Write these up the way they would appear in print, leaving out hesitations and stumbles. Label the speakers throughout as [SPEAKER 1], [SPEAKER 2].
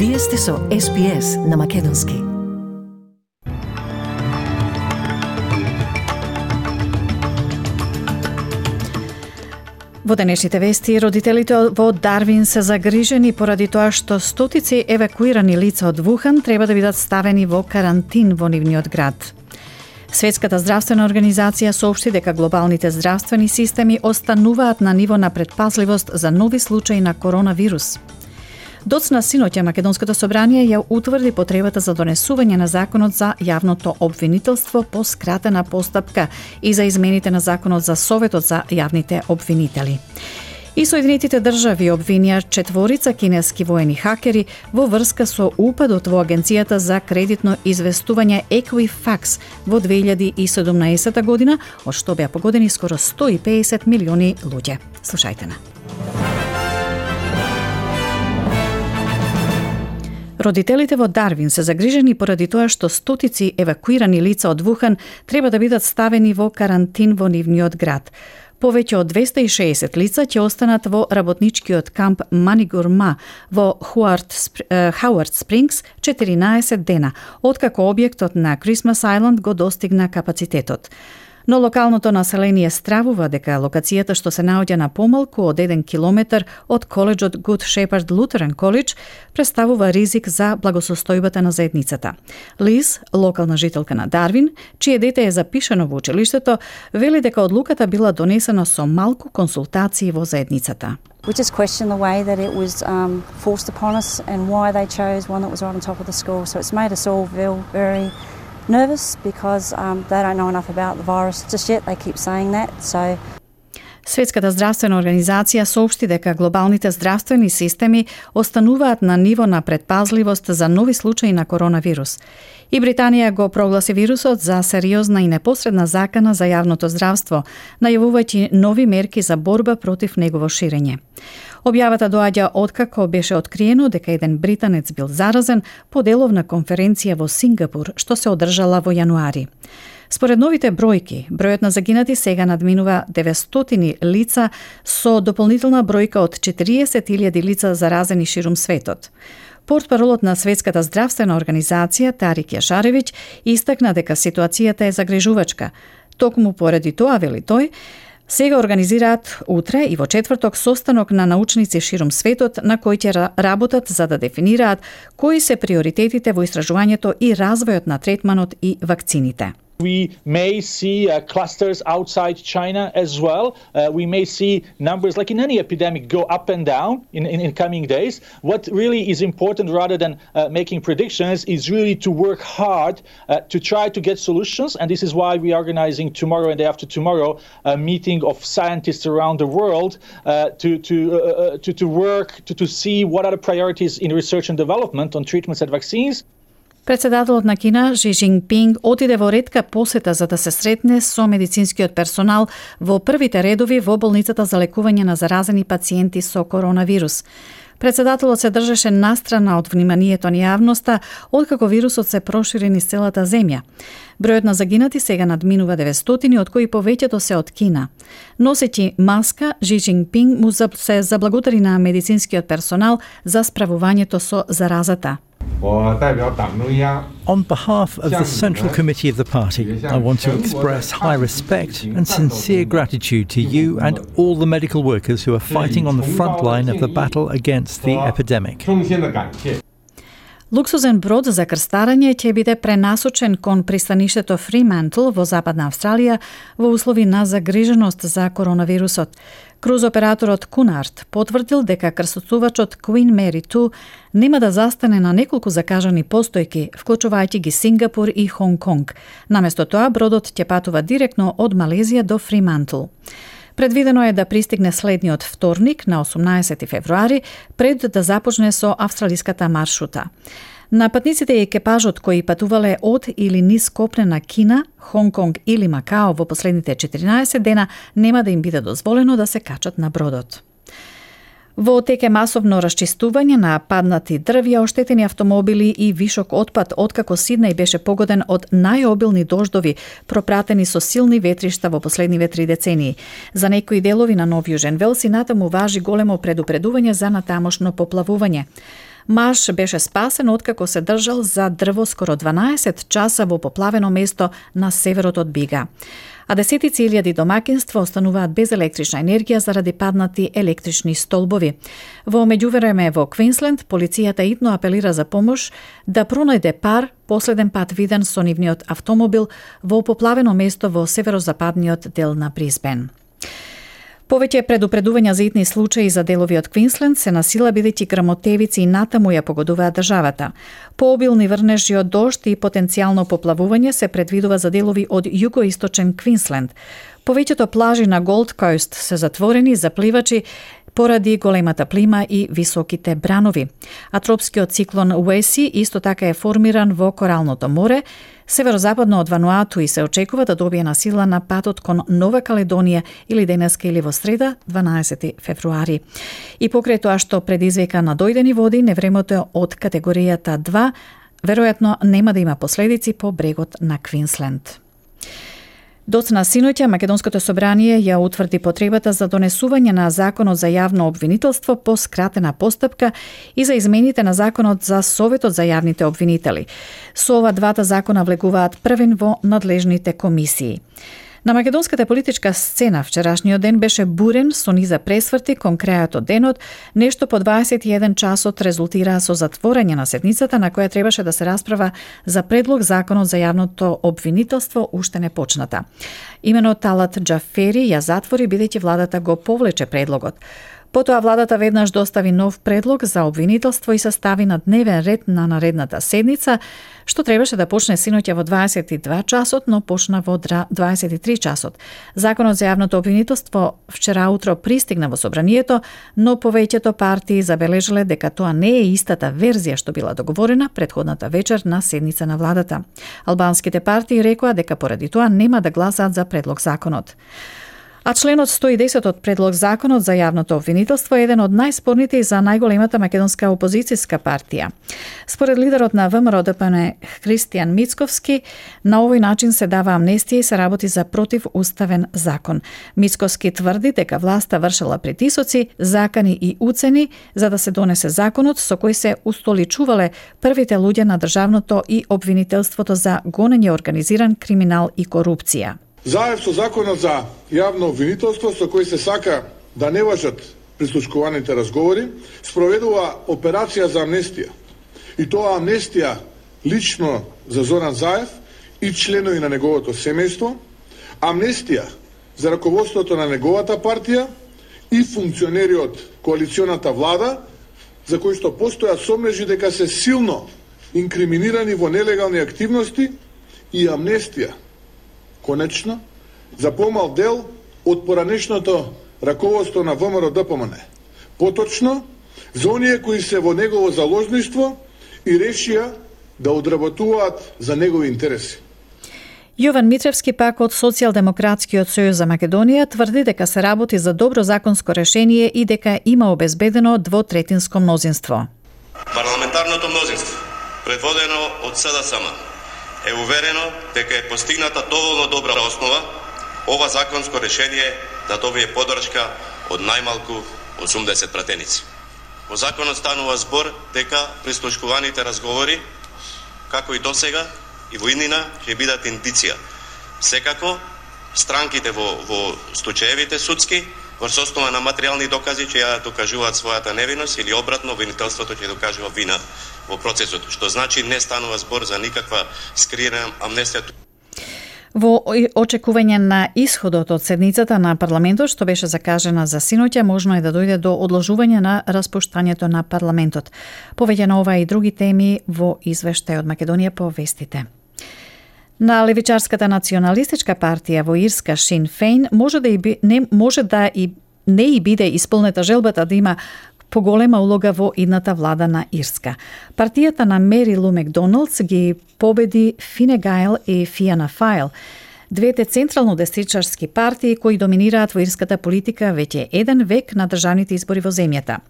[SPEAKER 1] Вие сте со SPS на Македонски. Во денешните вести, родителите во Дарвин се загрижени поради тоа што стотици евакуирани лица од Вухан треба да бидат ставени во карантин во нивниот град. Светската здравствена организација соопшти дека глобалните здравствени системи остануваат на ниво на предпазливост за нови случаи на коронавирус. Доцна синоќа Македонското собрание ја утврди потребата за донесување на законот за јавното обвинителство по скратена постапка и за измените на законот за Советот за јавните обвинители. И Соединетите држави обвинија 4 кинески воени хакери во врска со упадот во Агенцијата за кредитно известување Equifax во 2017 година, од што беа погодени скоро 150 милиони луѓе. Слушајте на. Родителите во Дарвин се загрижени поради тоа што стотици евакуирани лица од Вухан треба да бидат ставени во карантин во нивниот град. Повеќе од 260 лица ќе останат во работничкиот камп Манигурма во Хауард Спрингс 14 дена, откако објектот на Christmas Island го достигна капацитетот. Но локалното население стравува дека локацијата што се наоѓа на помалку од 1 километар од коледжот Good Shepherd Lutheran College представува ризик за благосостојбата на заедницата. Лиз, локална жителка на Дарвин, чие дете е запишано во училиштето, вели дека одлуката била донесена со малку консултации во заедницата.
[SPEAKER 2] We just question the way that it was forced upon us and why they chose one that was right on top of the school. So it's made us all feel very nervous because they don't know enough about the virus just yet. They keep saying that. So
[SPEAKER 1] Светската здравствена организација соопшти дека глобалните здравствени системи остануваат на ниво на предпазливост за нови случаи на коронавирус. И Британија го прогласи вирусот за сериозна и непосредна закана за јавното здравство, најавувајќи нови мерки за борба против негово ширење. Објавата доаѓа откако беше откриено дека еден британец бил заразен по деловна конференција во Сингапур, што се одржала во јануари. Според новите бројки, бројот на загинати сега надминува 900 лица со дополнителна бројка од 40.000 лица заразени ширум светот. Портпаролот на Светската здравствена организација Тарик Јашаревиќ истакна дека ситуацијата е загрижувачка. Токму поради тоа, вели тој, сега организираат утре и во четврток состанок на научници ширум светот на кој ќе работат за да дефинираат кои се приоритетите во истражувањето и развојот на третманот и вакцините.
[SPEAKER 3] We may see clusters outside China as well. We may see numbers like in any epidemic go up and down in coming days. What really is important rather than making predictions is really to work hard to try to get solutions. And this is why we are organizing tomorrow and day after tomorrow a meeting of scientists around the world to work to see what are the priorities in research and development on treatments and vaccines.
[SPEAKER 1] Председателот на Кина, Ши Џинпинг, отиде во ретка посета за да се сретне со медицинскиот персонал во првите редови во болницата за лекување на заразени пациенти со коронавирус. Председателот се држеше настрана од вниманието на јавноста, откако вирусот се прошири низ целата земја. Бројот на загинати сега надминува 900, од кои повеќето се од Кина. Носејќи маска, Ши Џинпинг му се заблагодари на медицинскиот персонал за справувањето со заразата.
[SPEAKER 4] On behalf of the Central Committee of the Party, I want to express high respect and sincere gratitude to you and all the medical workers who are fighting on the front line of the battle against the epidemic.
[SPEAKER 1] Луксузен брод за крстарење ќе биде пренасочен кон пристаништето Фримантл во Западна Австралија во услови на загриженост за коронавирусот. Круз операторот Кунард потврдил дека крстосувачот Queen Mary 2 нема да застане на неколку закажани постојки, вклучувајќи ги Сингапур и Хонг Конг. Наместо тоа, бродот ќе патува директно од Малезија до Фримантл. Предвидено е да пристигне следниот вторник на 18 февруари пред да започне со австралиската маршрута. На патниците и екипажот кои патувале од или низ копнена Кина, Хонг Конг или Макао во последните 14 дена нема да им биде дозволено да се качат на бродот. Во тек е масовно расчистување на паднати дрвја, оштетени автомобили и вишок отпад откако Сиднеј беше погоден од најобилни дождови, пропратени со силни ветришта во последниве 3 децении. За некои делови на Нов Јужен Велс и натаму важи големо предупредување за натамошно поплавување. Маж беше спасен откако се држал за дрво скоро 12 часа во поплавено место на северот од Бига. А десетици илјади домакинства остануваат без електрична енергија заради паднати електрични столбови. Во меѓувреме во Квинсленд, полицијата итно апелира за помош да пронајде пар последен пат виден со нивниот автомобил во поплавено место во северозападниот дел на Брисбен. Повеќе предупредувања за итни случаи за делови од Квинсленд се насила бидејќи грмотевици и натаму ја погодуваат државата. Пообилни врнежи од дожд и потенцијално поплавување се предвидува за делови од југоисточен Квинсленд. Повеќето плажи на Голд Коуст се затворени за пливачи поради големата плима и високите бранови. А тропскиот циклон Уеси исто така е формиран во Коралното море, северозападно од Вануату и се очекува да добие на сила на патот кон Нова Каледонија или денеска или во среда, 12 февруари. И покрај тоа што предизвика надојдени води, невремето од категоријата 2 веројатно нема да има последици по брегот на Квинсленд. Доцна синоќа Македонското собрание ја утврди потребата за донесување на Законот за јавно обвинителство по скратена постапка и за измените на Законот за Советот за јавните обвинители. Со ова двата закона влегуваат првен во надлежните комисии. На македонската политичка сцена вчерашниот ден беше бурен со низа пресврти кон крајот од денот, нешто по 21 часот резултираа со затворање на седницата на која требаше да се расправа за предлог Законот за јавното обвинителство уште не почната. Имено Талат Џафери ја затвори бидејќи владата го повлече предлогот. Потоа владата веднаш достави нов предлог за обвинителство и се стави на дневен ред на наредната седница, што требаше да почне синоќа во 22 часот, но почна во 23 часот. Законот за јавното обвинителство вчера утро пристигна во собранието, но повеќето партии забележале дека тоа не е истата верзија што била договорена претходната вечер на седница на владата. Албанските партии рекоа дека поради тоа нема да гласаат за предлог законот. А членот 110 од предлог Законот за јавното обвинителство е еден од најспорните и за најголемата македонска опозицијска партија. Според лидерот на ВМРО-ДПМН Христијан Мицковски, на овој начин се дава амнестија и се работи за противуставен закон. Мицковски тврди дека власта вршела притисоци, закани и уцени за да се донесе законот со кој се устоличувале првите луѓе на државното и обвинителството за гонење организиран криминал и корупција.
[SPEAKER 5] Заедно со Законот за јавно обвинителство, со кој се сака да не важат прислушкуваните разговори, спроведува операција за амнестија. И тоа амнестија лично за Зоран Заев и членови на неговото семејство, амнестија за раководството на неговата партија и функционери од коалиционата влада, за кои што постојат сомнежи дека се силно инкриминирани во нелегални активности, и амнестија конечно, за помал дел од поранешното раководство на ВМРО-ДПМН. Поточно, за оние кои се во негово заложништво и решија да одработуваат за негови интереси.
[SPEAKER 1] Јован Митревски пак од Социјалдемократскиот сојуз за Македонија тврди дека се работи за добро законско решение и дека има обезбедено двотретинско мнозинство.
[SPEAKER 6] Парламентарното мнозинство, предводено од СДСМ, е уверено дека е постигната доволно добра основа ова законско решение да добие поддршка од најмалку 80 пратеници. Во законот станува збор дека прислушкуваните разговори, како и досега и во иднина, ќе бидат индиција. Секако, странките во случаевите судски, врз основа на материјални докази ќе ја докажуваат својата невиност или обратно обвинителството ќе докажува вина во процесот, што значи не станува збор за никаква скриена амнестија.
[SPEAKER 1] Во очекување на исходот од седницата на парламентот, што беше закажена за синоќа, можно е да дојде до одложување на распуштањето на парламентот. Повеќе на ова и други теми во извештај од Македонија по вестите. На левичарската националистичка партија во Ирска Sinn Féin може да не биде исполнета желбата да има поголема улога во идната влада на Ирска. Партијата на Мери Лу Макдоналдс ги победи Фине Гајл и Фијана Фајл, двете централно-десничарски партии кои доминираат во ирската политика веќе еден век на државните избори во земјата.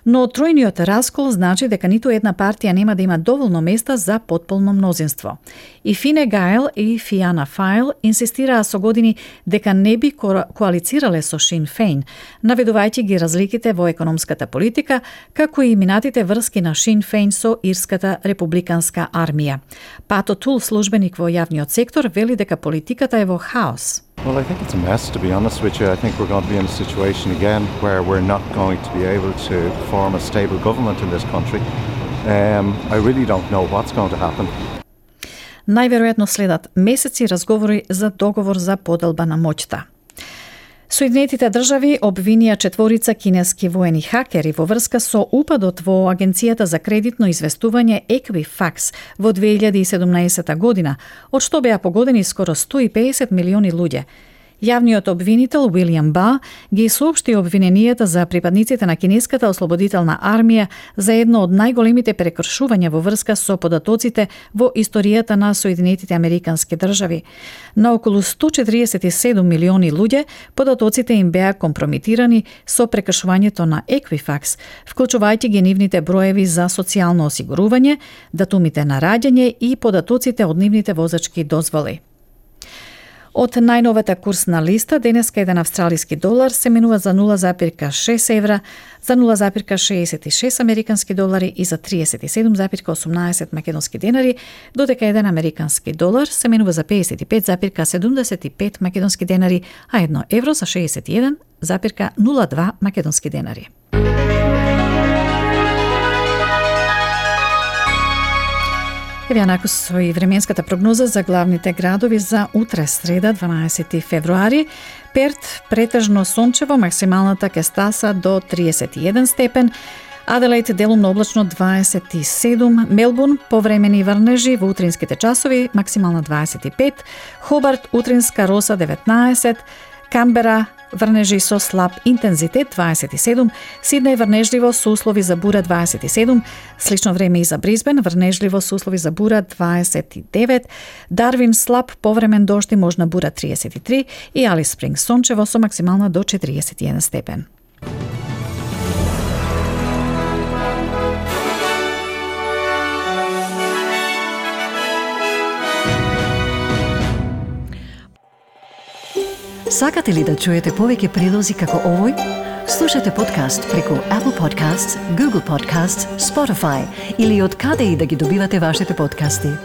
[SPEAKER 1] Но тројниот раскол значи дека ниту една партија нема да има доволно места за потполно мнозинство. И Фине Гајл и Фијана Фајл инсистираа со години дека не би коалицирале со Шин Фейн, наведувајќи ги разликите во економската политика, како и минатите врски на Шин Фейн со Ирската републиканска армија. Пато Тул, службеник во јавниот сектор, вели дека политиката е во хаос.
[SPEAKER 7] Well, I think it's a mess, to be honest with you. I think we're going to be in a situation again where we're not going to be able to form a stable government in this country. I really don't know what's going to happen.
[SPEAKER 1] Најверојатно следат месеци разговори за договор за поделба на моќта. Соединетите држави обвинија 4 кинески воени хакери во врска со упадот во Агенцијата за кредитно известување Equifax во 2017 година, од што беа погодени скоро 150 милиони луѓе. Јавниот обвинител Уилијам Ба ги соопшти обвиненијата за припадниците на кинеската ослободителна армија за едно од најголемите прекршувања во врска со податоците во историјата на Соединетите Американски држави. На околу 147 милиони луѓе податоците им беа компромитирани со прекршувањето на Equifax, вклучувајќи ги нивните броеви за социјално осигурување, датумите на раѓање и податоците од нивните возачки дозволи. Од најновата курсна листа, денеска еден австралиски долар се менува за 0,6 евра, за 0,66 американски долари и за 37,18 македонски денари, додека еден американски долар се менува за 55,75 македонски денари, а 1 евро за 61,02 македонски денари. Еве накус со и временската прогноза за главните градови за утре, среда, 12 февруари. Перт претежно сончево, максималната ќе стаса до 31 степен. Аделаид делумно облачно 27, Мелбурн повремени врнежи во утринските часови, максимална 25, Хобарт утринска роса 19, Камбера врнежи со слаб интензитет 27, Сиднеј врнежливо со услови за бура 27, слично време и за Брисбен врнежливо со услови за бура 29, Дарвин слаб повремен дожд и можна бура 33 и Алис Спрингс сончево со максимална до 41 степен.
[SPEAKER 8] Сакате ли да чуете повеќе прилози како овој? Слушате подкаст преку Apple Podcasts, Google Podcasts, Spotify или од каде и да ги добивате вашите подкасти.